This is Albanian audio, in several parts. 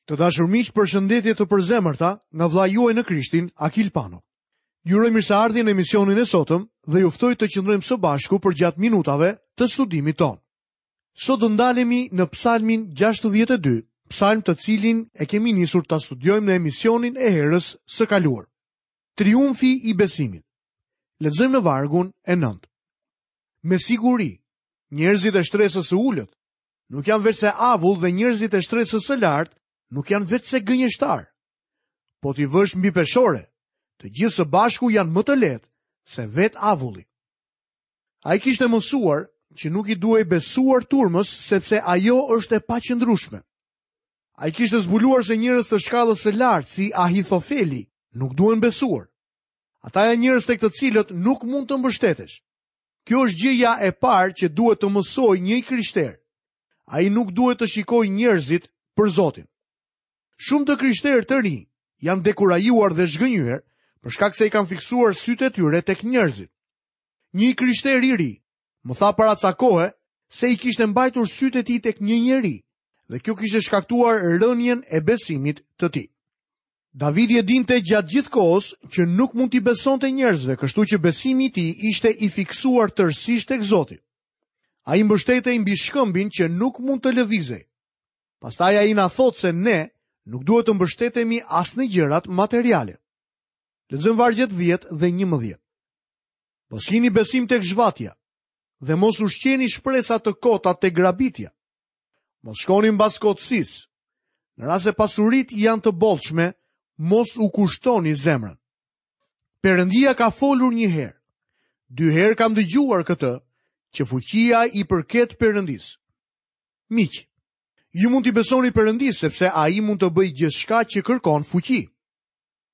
Të dashur miq, përshëndetje të përzemërta nga vëllai juaj në Krishtin, Akil Pano. Ju uroj mirëseardhjen në emisionin e sotëm dhe ju ftoj të qëndrojmë së bashku përgjatë minutave të studimit tonë. Sot do ndalemi në Psalmin 62, psalm të cilin e kemi nisur ta studiojmë në emisionin e herës së kaluar. Triumfi i besimit. Lexojmë në vargun e 9. Me siguri, njerëzit e shtresës së ulët nuk janë veçse avull dhe njerëzit e shtresës së lartë nuk janë veçse gënjeshtarë. Po t'i vësh mbi peshore, të gjithë së bashku janë më të lehtë se vetë avulli. Ai kishte mësuar që nuk i duhej besuar turmës sepse ajo është e paqëndrueshme. Ai kishte zbuluar se njerëz të shkallës së lartë si Ahithofeli nuk duhen besuar. Ata janë njerëz tek të cilët nuk mund të mbështetesh. Kjo është gjëja e parë që duhet të mësojë një i krishterë. Ai nuk duhet të shikojë njerëzit për Zotin. Shumë të krishterë të rinj janë dekurajuar dhe zhgënjyer për shkak se i kanë fiksuar sytë e tyre tek njerëzit. Një i krishterë i ri më tha para ca kohe se i kishte mbajtur sytë e tij tek një njeri dhe kjo kishte shkaktuar rënien e besimit të tij. Davidi e dinte gjatë gjithë kohës që nuk mund t'i besonte njerëzve, kështu që besimi i tij ishte i fiksuar tërësisht tek Zoti. Ai mbështetej mbi shkëmbin që nuk mund të lëvizej. Pastaj ai na thotë se ne nuk duhet të mbështetemi as në gjërat materiale. Lexojmë vargjet 10 dhe 11. Mos kini besim tek zhvatja dhe mos ushqeni shpresa të kota tek grabitja. Mos shkoni mbas kotësisë. Në rast se pasuritë janë të bollshme, mos u kushtoni zemrën. Perëndia ka folur një herë. Dy herë kam dëgjuar këtë, që fuqia i përket Perëndisë. Miq, ju mund t'i besoni Perëndisë sepse ai mund të bëjë gjithçka që kërkon fuqi.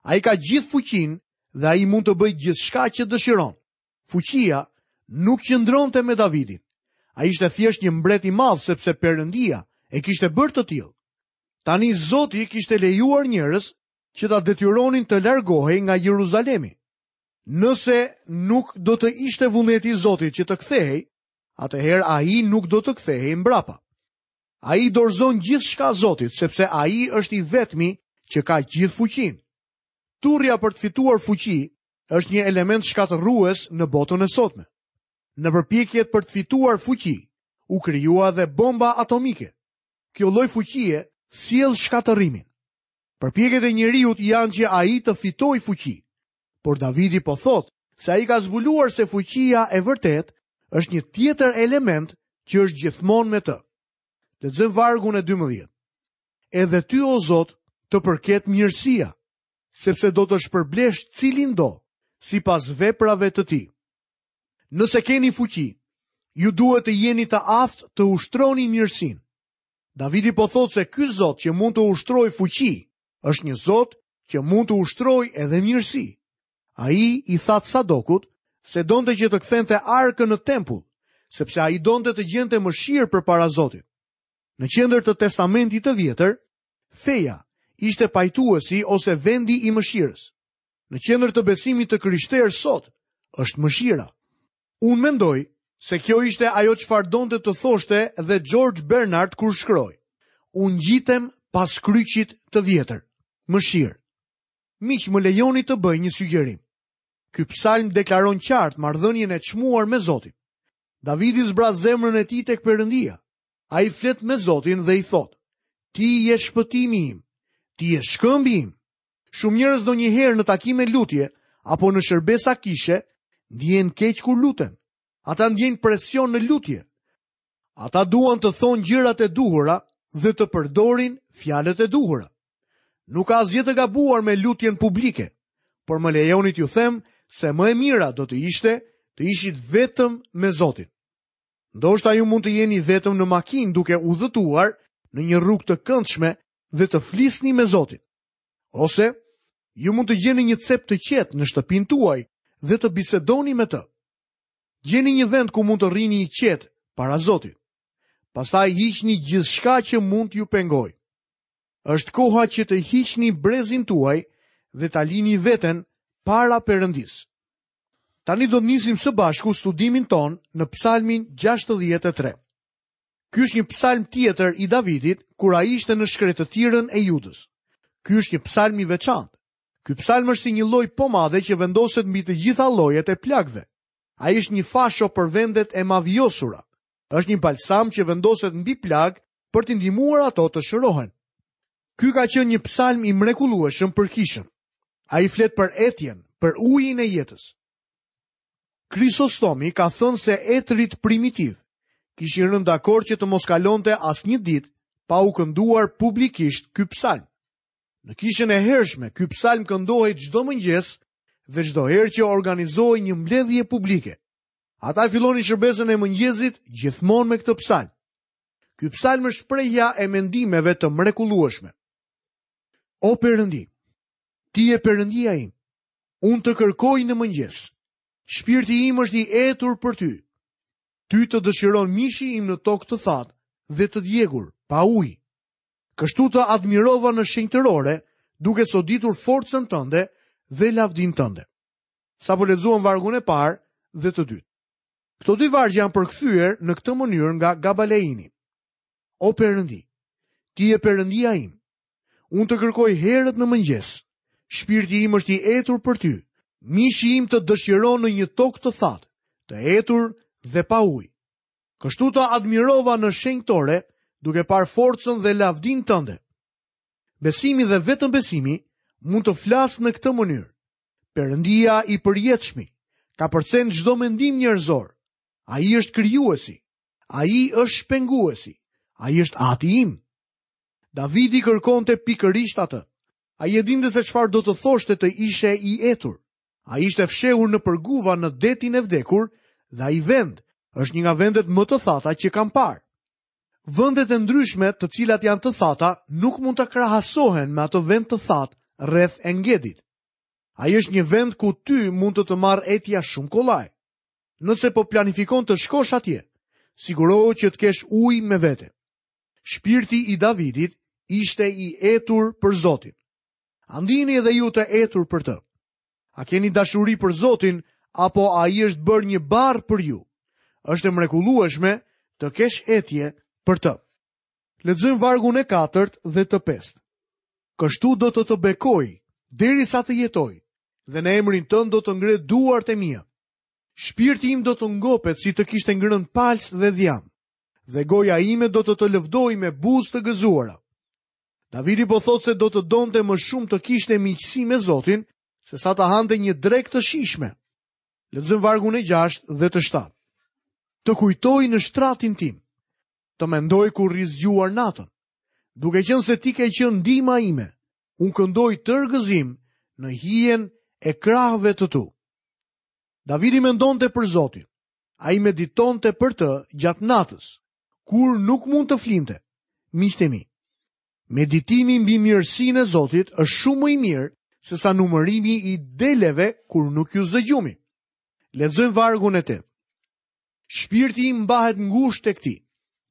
Ai ka gjithë fuqinë dhe ai mund të bëjë gjithçka që dëshiron. Fuqia nuk qëndronte me Davidin. Ai ishte thjesht një mbret i madh sepse Perëndia e kishte bërë të tillë. Tani Zoti kishte lejuar njerëz që ta detyronin të largohej nga Jeruzalemi. Nëse nuk do të ishte vullneti i Zotit që të kthehej, atëherë ai nuk do të kthehej mbrapa. Ai i dorëzon gjithçka Zotit, sepse ai është i vetmi që ka gjithë fuqinë. Turrja për të fituar fuqi është një element shkatërrues në botën e sotme. Në përpjekjet për të fituar fuqi, u krijua dhe bomba atomike. Kjo lloj fuqie sjell shkatërrimin. Përpjekjet e njeriut janë që ai të fitojë fuqi. Por Davidi po thotë se ai ka zbuluar se fuqia e vërtetë është një tjetër element që është gjithmonë me të. Lexojmë vargun e 12. Edhe ty o Zot të përket mirësia, sepse do të shpërblesh cilindo sipas veprave të tij. Nëse keni fuqi, ju duhet të jeni të aftë të ushtroni mirësinë. Davidi po thotë se ky Zot që mund të ushtrojë fuqi, është një Zot që mund të ushtrojë edhe mirësi. Ai i tha Sadokut se donte që të kthente arkën në tempull, sepse ai donte të gjente mëshirë përpara Zotit. Në qendër të Testamentit të Vjetër, Feja ishte pajtuesi ose vendi i mëshirës. Në qendër të besimit të krishterë sot është mëshira. Unë mendoj se kjo ishte ajo çfarë donte të thoshte dhe George Bernard kur shkroi: Unë ngjitem pas kryqit të vjetër. Mëshirë. Miq, më lejoni të bëj një sugjerim. Ky psalm deklaron qartë marrëdhënien e çmuar me Zotin. Davidi zbraz zemrën e tij tek Perëndia. Ai flet me Zotin dhe i thotë, Ti je shpëtimi im, ti je shkëmbi im. Shumë njerëz ndonjëherë në takime lutje apo në shërbesa kishe ndihen keq kur luten. Ata ndjejnë presion në lutje. Ata duan të thonë gjërat e duhura dhe të përdorin fjalët e duhura. Nuk ka asgjë të gabuar me lutjen publike, por më lejoni t'ju them se më e mira do të ishte të ishit vetëm me Zotin. Ndoshta ju mund të jeni vetëm në makinë duke udhëtuar në një rrugë të këndshme dhe të flisni me Zotin. Ose ju mund të gjeni një cep të qetë në shtëpinë tuaj dhe të bisedoni me të. Gjeni një vend ku mund të rrini i qetë para Zotit. Pastaj hiqni gjithçka që mund t'ju pengojë. Është koha që të hiqni brezin tuaj dhe ta lini veten para Perëndisë. Tani do të nisim së bashku studimin tonë në Psalmin 63. Ky është një psalm tjetër i Davidit kur ai ishte në shkretëtirën e Judës. Ky është një psalm i veçantë. Ky psalm është si një lloj pomade që vendoset mbi të gjitha llojet e plagëve. Ai është një fasho për vendet e mavijosura. Është një balsam që vendoset mbi plagë për t'i ndihmuar ato të shërohen. Ky ka qenë një psalm i mrekullueshëm për kishën. Ai flet për etjen, për ujin e jetës. Krisostomi ka thënë se etërit primitivë kishin rënë dakord që të mos kalonte asnjë ditë pa u kënduar publikisht ky psalm. Në kishën e hershme, ky psalm këndohej çdo mëngjes dhe çdo herë që organizohej një mbledhje publike. Ata e fillonin shërbesën e mëngjesit gjithmonë me këtë psalm. Ky psalm është shprehja e mendimeve të mrekullueshme. O Perëndi, ti je Perëndia im. Unë të kërkoj në mëngjes. Shpirti im është i etur për ty. Ty të dëshiron mishi im në tokë të thatë dhe të djegur, pa ujë. Kështu të admirova në shenjtërore, duke soditur forcën tënde dhe lavdinë tënde. Sapo lexuam vargun e parë dhe të dytë. Këto dy vargje janë përkthyer në këtë mënyrë nga Gabaleini. O Perëndi, ti je Perëndia im. Unë të kërkoj herët në mëngjes. Shpirti im është i etur për ty. Mishi im të dëshiron në një tokë të thatë, të etur dhe pa ujë. Kështu të admirova në shenjtore, duke parë forcën dhe lavdinë tënde. Besimi dhe vetëm besimi mund të flasë në këtë mënyrë. Perëndia i përjetshmi kapërcen çdo mendim njerëzor. Ai është krijuesi. Ai është shpenguesi. Ai është ati im. Davidi kërkonte pikërisht atë. Ai e dinte se çfarë do të thoshte të ishe i etur. Ai ishte fshehur nëpër guva në detin e vdekur dhe ai vend është një nga vendet më të thata që kam parë. Vendet e ndryshme të cilat janë të thata nuk mund të krahasohen me atë vend të thatë rreth Engedit. Ai është një vend ku ty mund të të marrë etja shumë kollaj. Nëse po planifikon të shkosh atje, sigurohu që të kesh ujë me vete. Shpirti i Davidit ishte i etur për Zotin. A ndiheni edhe ju të etur për të? A keni dashuri për Zotin apo ai është bërë një barrë për ju? Është e mrekullueshme të kesh etje për të. Lexojmë vargun e katërt dhe të pestë. Kështu do të të bekoj derisa të jetoj dhe në emrin tënd do të ngre duart e mia. Shpirti im do të ngopet si të kishte ngrënë palcë dhe dhjamë dhe goja ime do të të lëvdojë me buzë të gëzuara. Davidi po thotë se do të donte më shumë të kishte miqësi me Zotin, se sa të hante një drekë të shijshme. Lexojmë vargun e 6 dhe të 7. Të kujtoj në shtratin tim, të mendoj kur rri zgjuar natën. Duke qenë se ti ke qenë ndihma ime, unë këndoj tërë gëzim në hijen e krahëve të tu. Davidi mendonte për Zotin. Ai meditonte për të gjatë natës, kur nuk mund të flinte. Miqtë e mi, meditimi mbi mirësinë e Zotit është shumë më i mirë se sa numërimi i deleve kur nuk ju zë gjumi. Lexojmë vargun e 8. Shpirti im mbahet ngushtë tek ti.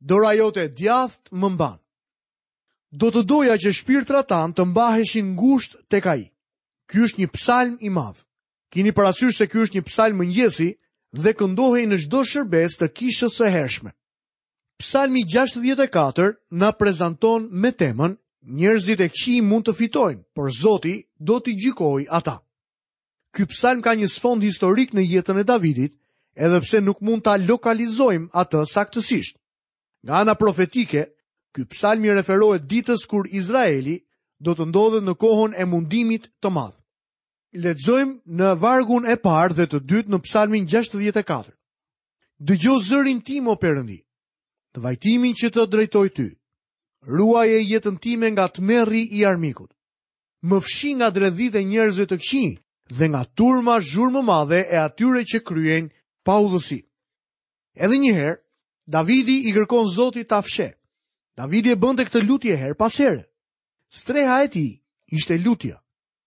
Dora jote e djathtë më mban. Do të doja që shpirtrat tanë të mbaheshin ngushtë tek ai. Ky është një psalm i madh. Kini parasysh se ky është një psalm mëngjesi dhe këndohej në çdo shërbesë të kishës së hershme. Psalmi 64 na prezanton me temën Njerëzit e këqij mund të fitojnë, por Zoti do t'i gjykojë ata. Ky psalm ka një sfond historik në jetën e Davidit, edhe pse nuk mund ta lokalizojmë atë saktësisht. Nga ana profetike, ky psalm i referohet ditës kur Izraeli do të ndodhet në kohën e mundimit të madh. Lexojmë në vargun e parë dhe të dytë në Psalmin 64. Dëgjo zërin tim o Perëndi, në vajtimin që të drejtoj ty. Ruaje jetën time nga tmerri i armikut. Më fshi nga dredhitë e njerëzve të këqij dhe nga turma zhurmëmadhe e atyre që kryejnë paudhësi. Edhe një herë, Davidi i kërkon Zotit ta fshehë. Davidi e bënte këtë lutje herë pas here. Streha e tij ishte lutja.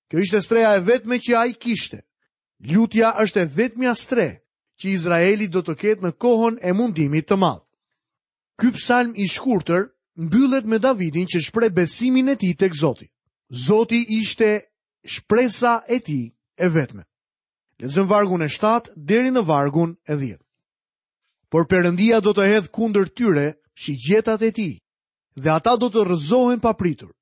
Kjo ishte streha e vetme që ai kishte. Lutja është e vetmja strehë që Izraeli do të ketë në kohën e mundimit të madh. Ky psalm i shkurtër mbyllet me Davidin që shpreh besimin e tij tek Zoti. Zoti ishte shpresa e tij e vetme. Lexojmë vargun e 7 deri në vargun e 10. Por Perëndia do të hedhë kundër tyre shigjetat e tij dhe ata do të rrëzohen papritur.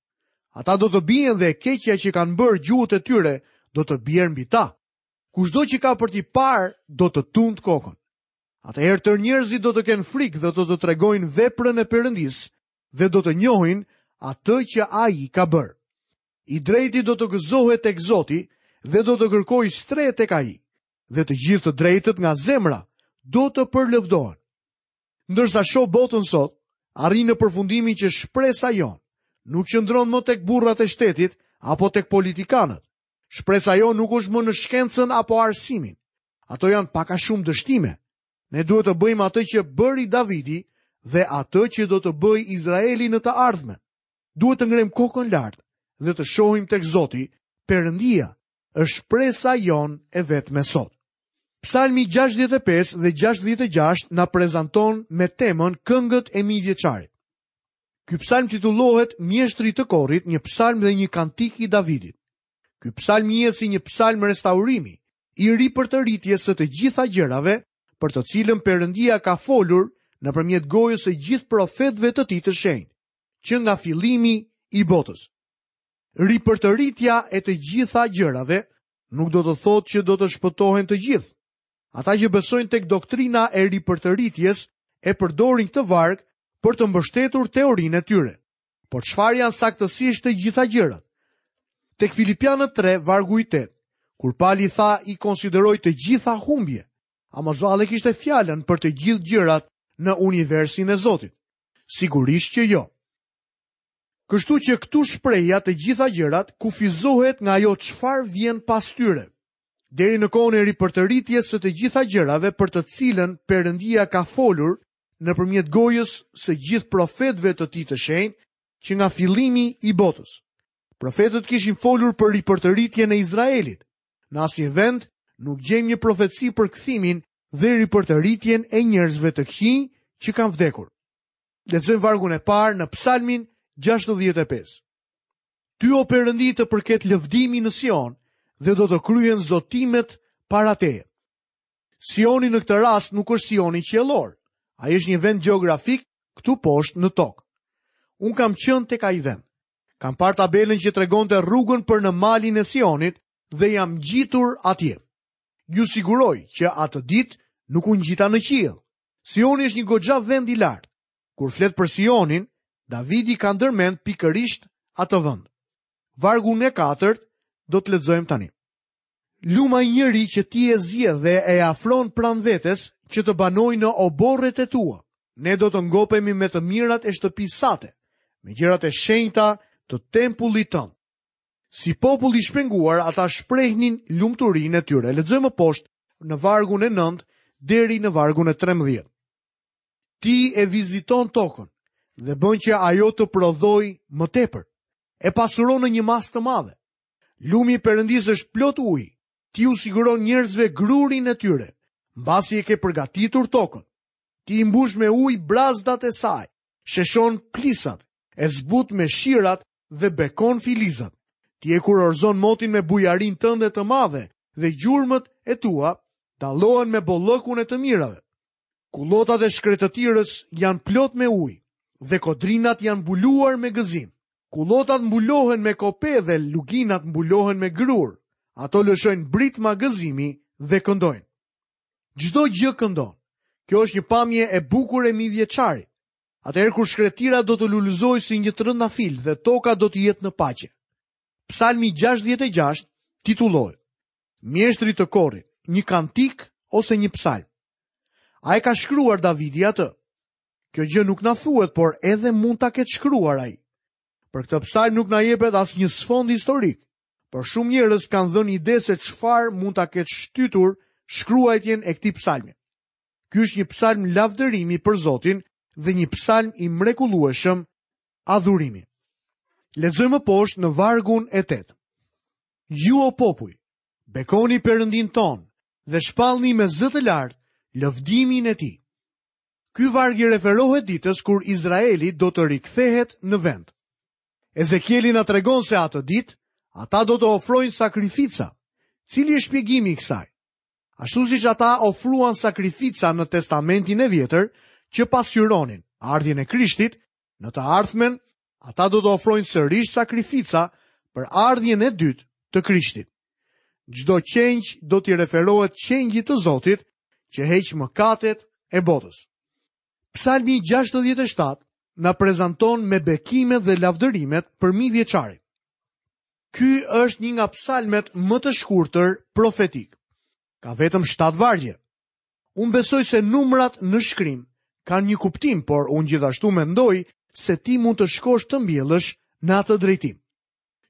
Ata do të bien dhe e keqja që kanë bërë gjuhët e tyre do të bjerë mbi ta. Kushdo që ka për t'i parë do të tundë kokën. Atëherë tërë njerëzit do të kenë frikë dhe do të tregojnë veprën e Perëndisë dhe do të njohin atë që ai ka bërë. I drejti do të gëzohet tek Zoti dhe do të kërkojë strehë tek ai, dhe të gjithë të drejtët nga zemra do të përlëvdohen. Ndërsa shoh botën sot, arrij në përfundimin që shpresa jonë nuk qëndron më tek burrat e shtetit apo tek politikanët. Shpresa jonë nuk është më në shkencën apo arsimin. Ato janë pak a shumë dështime. Ne duhet të bëjmë atë që bëri Davidi dhe atë që do të bëjë Izraeli në të ardhmen. Duhet të ngremë kokën lart dhe të shohim tek Zoti, Perëndia, është shpresa jonë e vetme sot. Psalmi 65 dhe 66 na prezanton me temën Këngët e Mijëvjeçarit. Ky psalm titullohet Mjeshtrit të Korit, një psalm dhe një kantik i Davidit. Ky psalm njihet si një psalm restaurimi, i ripërtëritjes së të gjitha gjërave, për të cilën Perëndia ka folur nëpërmjet gojës së gjithë profetëve të tij të shenjtë, që nga fillimi i botës. Ripërtëritja e të gjitha gjërave nuk do të thotë që do të shpëtohen të gjithë. Ata që besojnë tek doktrina e ripërtëritjes e përdorin këtë varg për të mbështetur teorinë e tyre. Por çfarë janë saktësisht të gjitha gjërat? Tek Filipianët 3, vargu i 8, kur Pali tha i konsideroj të gjitha humbje, a mos vallë e kishte fjalën për të gjithë gjërat në universin e Zotit? Sigurisht që jo. Kështu që këtu shprehja të gjitha gjërat kufizohet nga ajo çfarë vjen pas tyre. Deri në kohën e ripërtëritjes së të gjitha gjërave për të cilën Perëndia ka folur nëpërmjet gojës së gjithë profetëve të tij të shenjtë që nga fillimi i botës. Profetët kishin folur për ripërtëritjen e Izraelit. Në asnjë vend nuk gjejmë një profeci për kthimin dhe ripërtëritjen e njerëzve të këqij që kanë vdekur. Lexojmë vargun e parë në Psalmin 65. Ty o Perëndi të përket lëvdimi në Sion dhe do të kryhen zotimet para teje. Sioni në këtë rast nuk është Sioni qiellor. Ai është një vend gjeografik këtu poshtë në tokë. Unë kam qenë tek ai vend. Kam parë tabelën që tregonte rrugën për në malin e Sionit dhe jam ngjitur atje. Ju siguroj që atë ditë nuk u ngjita në qiell. Sioni është një goxha vend i lartë. Kur flet për Sionin, Davidi ka ndërmend pikërisht atë vend. Vargun e katërt do të lexojmë tani. Lum ai njeri që ti e zgjedh dhe e afron pranë vetes që të banojë në oborret e tua. Ne do të ngopemi me të mirat e shtëpisë sate, me gjërat e shenjta të tempullit tënd. Si popull i shpenguar, ata shprehnin lumturinë e tyre. Lexojmë më poshtë në vargun e 9 deri në vargun e 13. Ti e viziton tokën dhe bën që ajo të prodhojë më tepër. E pasuron në një masë të madhe. Lumi i Perëndisë është plot ujë. Ti u siguron njerëzve grurin e tyre, mbasi e ke përgatitur tokën. Ti i mbush me ujë brazdat e saj, sheshon plisat, e zbut me shirat dhe bekon filizat. Ti e kurorëzon motin me bujarinë tënde të madhe dhe gjurmët e tua dallohen me bollëkun e të mirave. Kullotat e shkretëtirës janë plot me ujë dhe kodrinat janë mbuluar me gëzim. Kullotat mbulohen me kope dhe luginat mbulohen me grurë. Ato lëshojnë britma gëzimi dhe këndojnë. Çdo gjë këndon. Kjo është një pamje e bukur e mijëvjeçarit. Atëherë kur shkretëtira do të lulëzojë si një trëndafil dhe toka do të jetë në paqe. Psalmi 66 titullohet Mjeshtrit të korit, një kantik ose një psalm. A e ka shkruar Davidi atë? Kjo gjë nuk na thuhet, por edhe mund ta ketë shkruar ai. Për këtë psalm nuk na jepet asnjë sfond historik, por shumë njerëz kanë dhënë ide se çfarë mund ta ketë shtytur shkruajtjen e këtij psalmi. Ky është një psalm lavdërimi për Zotin dhe një psalm i mrekullueshëm adhurimi. Lexojmë më poshtë në vargun e 8. Ju o popuj, bekoni Perëndinë tonë dhe shpallni me zë të lartë lëvdimin e tij. Ky varg i referohet ditës kur Izraeli do të rikthehet në vend. Ezekieli na tregon se atë ditë ata do të ofrojnë sakrifica. Cili është shpjegimi i kësaj? Ashtu siç ata ofruan sakrifica në Testamentin e Vjetër që pasqyronin. Ardhjen e Krishtit, në të ardhmen, ata do të ofrojnë sërish sakrifica për ardhjen e dytë të Krishtit. Çdo qengj do t'i referohet qengjit të Zotit që heq mëkatet e botës. Psalmi 67 na prezanton me bekimet dhe lavdërimet për mijëvjeçarin. Ky është një nga psalmet më të shkurtër profetik. Ka vetëm 7 vargje. Unë besoj se numrat në shkrim kanë një kuptim, por unë gjithashtu mendoj se ti mund të shkosh të mbjellësh në atë drejtim.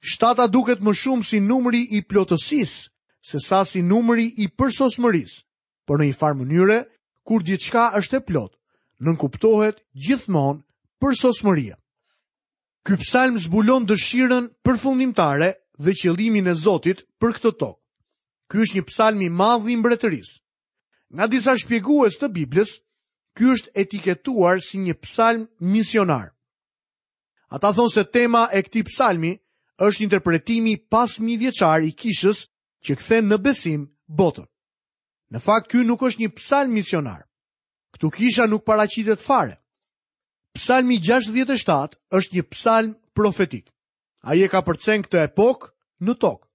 Shtata duket më shumë si numri i plotësisë, sesa si numri i përsosmërisë, por në një farë mënyre, kur diçka është e plotë, nënkuptohet gjithmonë përsosmëria. Ky psalm zbulon dëshirën përfundimtare dhe qëllimin e Zotit për këtë tokë. Ky është një psalm i madh i mbretërisë. Nga disa shpjegues të Biblës, ky është etiketuar si një psalm misionar. Ata thonë se tema e këtij psalmi është interpretimi pas mijëvjeçar i kishës që kthen në besim botën. Në fakt ky nuk është një psalm misionar. Këtu kisha nuk paraqitet fare. Psalmi 67 është një psalm profetik. Ai e kapërcen këtë epokë në tokë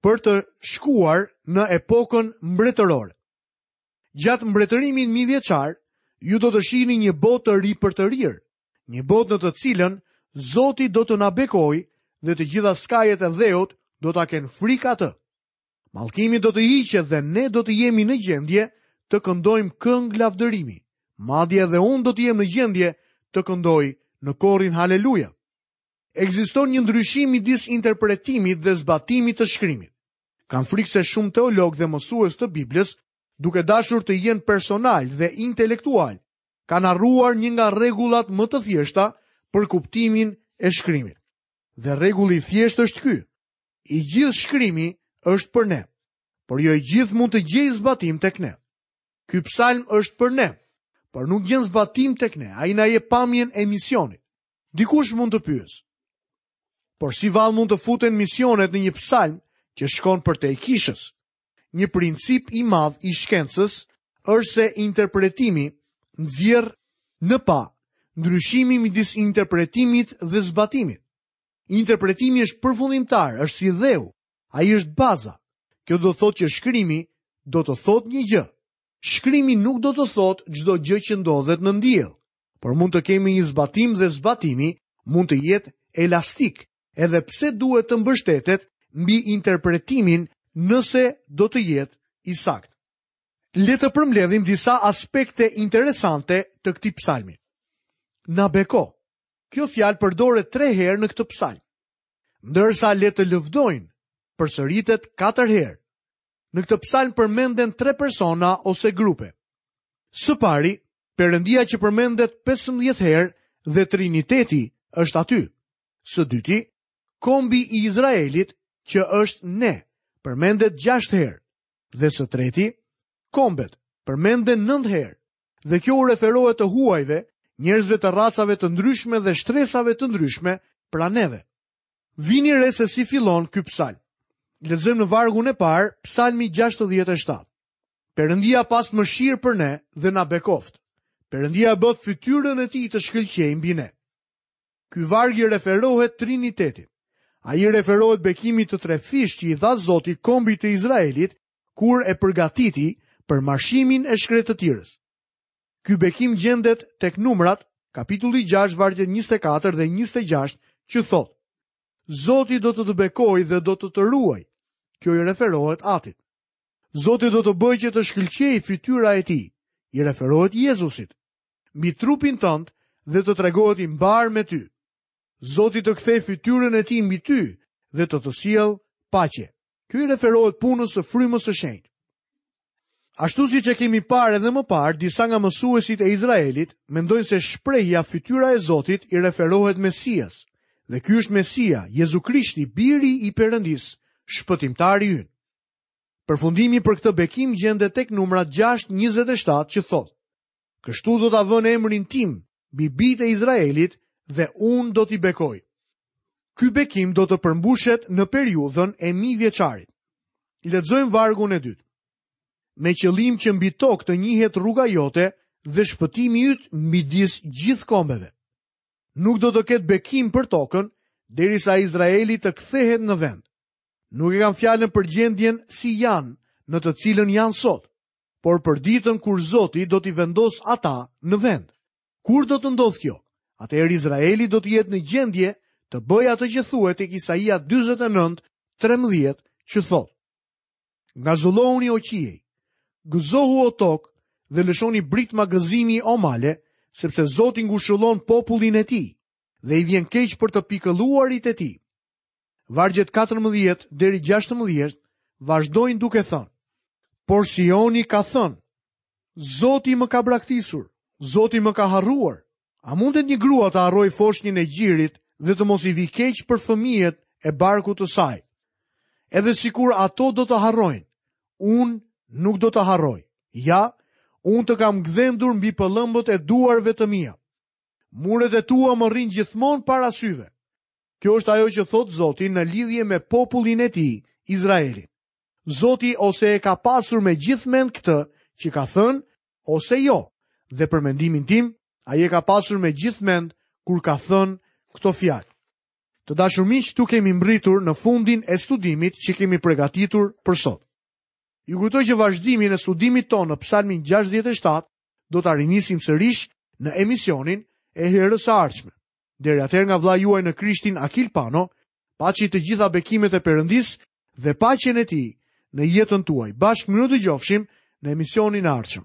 për të shkuar në epokën mbretërore. Gjatë mbretërimit mijëvjeçar, ju do të shihni një botë të ripërtërirë, një botë në të cilën Zoti do të na bekojë dhe të gjitha skajet e dheut do ta kenë frikë atë. Mallkimi do të hiqet dhe ne do të jemi në gjendje të këndojmë këngë lavdërimi. Madje edhe unë do të jem në gjendje të këndoj në korin Haleluja. Ekziston një ndryshim midis interpretimit dhe zbatimit të shkrimit. Kam frikë se shumë teologë dhe mësues të Biblës, duke dashur të jenë personalë dhe intelektualë, kanë harruar një nga rregullat më të thjeshta për kuptimin e shkrimit. Dhe rregulli i thjeshtë është ky. I gjithë shkrimi është për ne, por jo i gjithë mund të gjejë zbatim tek ne. Ky psalm është për ne, por nuk gjen zbatim tek ne. Ai na jep pamjen e misionit. Dikush mund të pyesë. Por si vallë mund të futen misionet në një psalm që shkon përtej kishës? Një princip i madh i shkencës është se interpretimi nxjerr në pah ndryshimin midis interpretimit dhe zbatimit. Interpretimi është përfundimtar, është si dheu, ai është baza. Kjo do të thotë që shkrimi do të thotë një gjë. Shkrimi nuk do të thotë çdo gjë që ndodhet nën diell, por mund të kemi një zbatim dhe zbatimi mund të jetë elastik, edhe pse duhet të mbështetet mbi interpretimin nëse do të jetë i saktë. Le të përmbledhim disa aspekte interesante të këtij psalmi. Na beko. Kjo fjalë përdoret tre herë në këtë psalm. Ndërsa le të lëvdojnë, përsëritet katër herë. Në këtë psalm përmenden tre persona ose grupe. Së pari, Perëndia që përmendet 15 herë dhe Triniteti është aty. Së dyti, kombi i Izraelit që është ne, përmendet 6 herë. Dhe së treti, kombet përmenden 9 herë. Dhe kjo u referohet të huajve, njerëzve të racave të ndryshme dhe shtresave të ndryshme, pra neve. Vini re se si fillon ky psalm. Lexojmë në vargun e parë, psalmi 67. Perëndia pastë mëshirë për ne dhe na bekoftë. Perëndia bëftë fytyrën e tij të shkëlqejë mbi ne. Ky varg i referohet Trinitetit. Ai i referohet bekimit të trefishtë që i dha Zoti kombit të Izraelit kur e përgatiti për marshimin e shkretëtirës. Ky bekim gjendet tek Numrat, kapitulli 6, vargjet 24 dhe 26, që thotë: Zoti do të të bekojë dhe do të të ruajë. Kjo i referohet Atit. Zoti do të bëjë që të shkëlqejë fytyra e tij, i referohet Jezusit, mbi trupin tënd dhe të tregohet i mbarë me ty. Zoti të kthejë fytyrën e tij mbi ty dhe të të sjellë paqe. Kjo i referohet punës së frymës së shenjtë. Ashtu siç e kemi parë edhe më parë, disa nga mësuesit e Izraelit mendojnë se shprehja fytyra e Zotit i referohet Mesias, dhe ky është Mesia, Jezu Krishti, biri i Perëndisë, shpëtimtari ynë. Përfundimi për këtë bekim gjendet tek Numrat 6:27 që thotë: Kështu do ta vënë emrin tim mbi bijtë e Izraelit dhe unë do t'i bekoj. Ky bekim do të përmbushet në periudhën e mijëvjeçarit. Lexojmë vargun e dytë. Me qëllim që mbi tokë të njihet rruga jote dhe shpëtimi yt midis gjithë kombeve. Nuk do të ketë bekim për tokën derisa Izraeli të kthehet në vend. Nuk e kam fjalën për gjendjen si janë, në të cilën janë sot, por për ditën kur Zoti do t'i vendosë ata në vend. Kur do të ndodhë kjo? Atëherë Izraeli do të jetë në gjendje të bëjë atë që thuhet tek Isaia 49, 13, që thotë. Ngazëllohuni o qiej, gëzohu o tokë dhe lëshoni britma gëzimi o male, sepse Zoti ngushëllon popullin e tij dhe i vjen keq për të pikëlluarit e tij. Vargjet 14 deri 16 vazhdojnë duke thënë: Por Sioni ka thënë: Zoti më ka braktisur, Zoti më ka harruar. A mundet një grua të harrojë foshnjën e gjirit dhe të mos i vijë keq për fëmijët e barkut të saj? Edhe sikur ato do të harrojnë, unë nuk do të harroj. Ja, unë të kam gdhendur mbi pëllëmbët e duarve të mia. Muret e tua më rrinë gjithmonë para syve. Kjo është ajo që thotë Zoti në lidhje me popullin e tij, Izraelin. Zoti ose e ka pasur me gjithë mend këtë që ka thënë, ose jo, dhe për mendimin tim, ai e ka pasur me gjithë mend kur ka thënë këto fjalë. Të dashur miq, këtu kemi mbërritur në fundin e studimit që kemi përgatitur për sot. Ju kujtoj që vazhdimin e studimit tonë në Psalmin 67 do ta rinisim sërish në emisionin e herës së ardhshme. Deri atëherë nga vëllai juaj në Krishtin Akil Pano, paçi të gjitha bekimet e Perëndisë dhe paqen e tij në jetën tuaj. Bashkë mirudëgjofshim në emisionin e ardhshëm.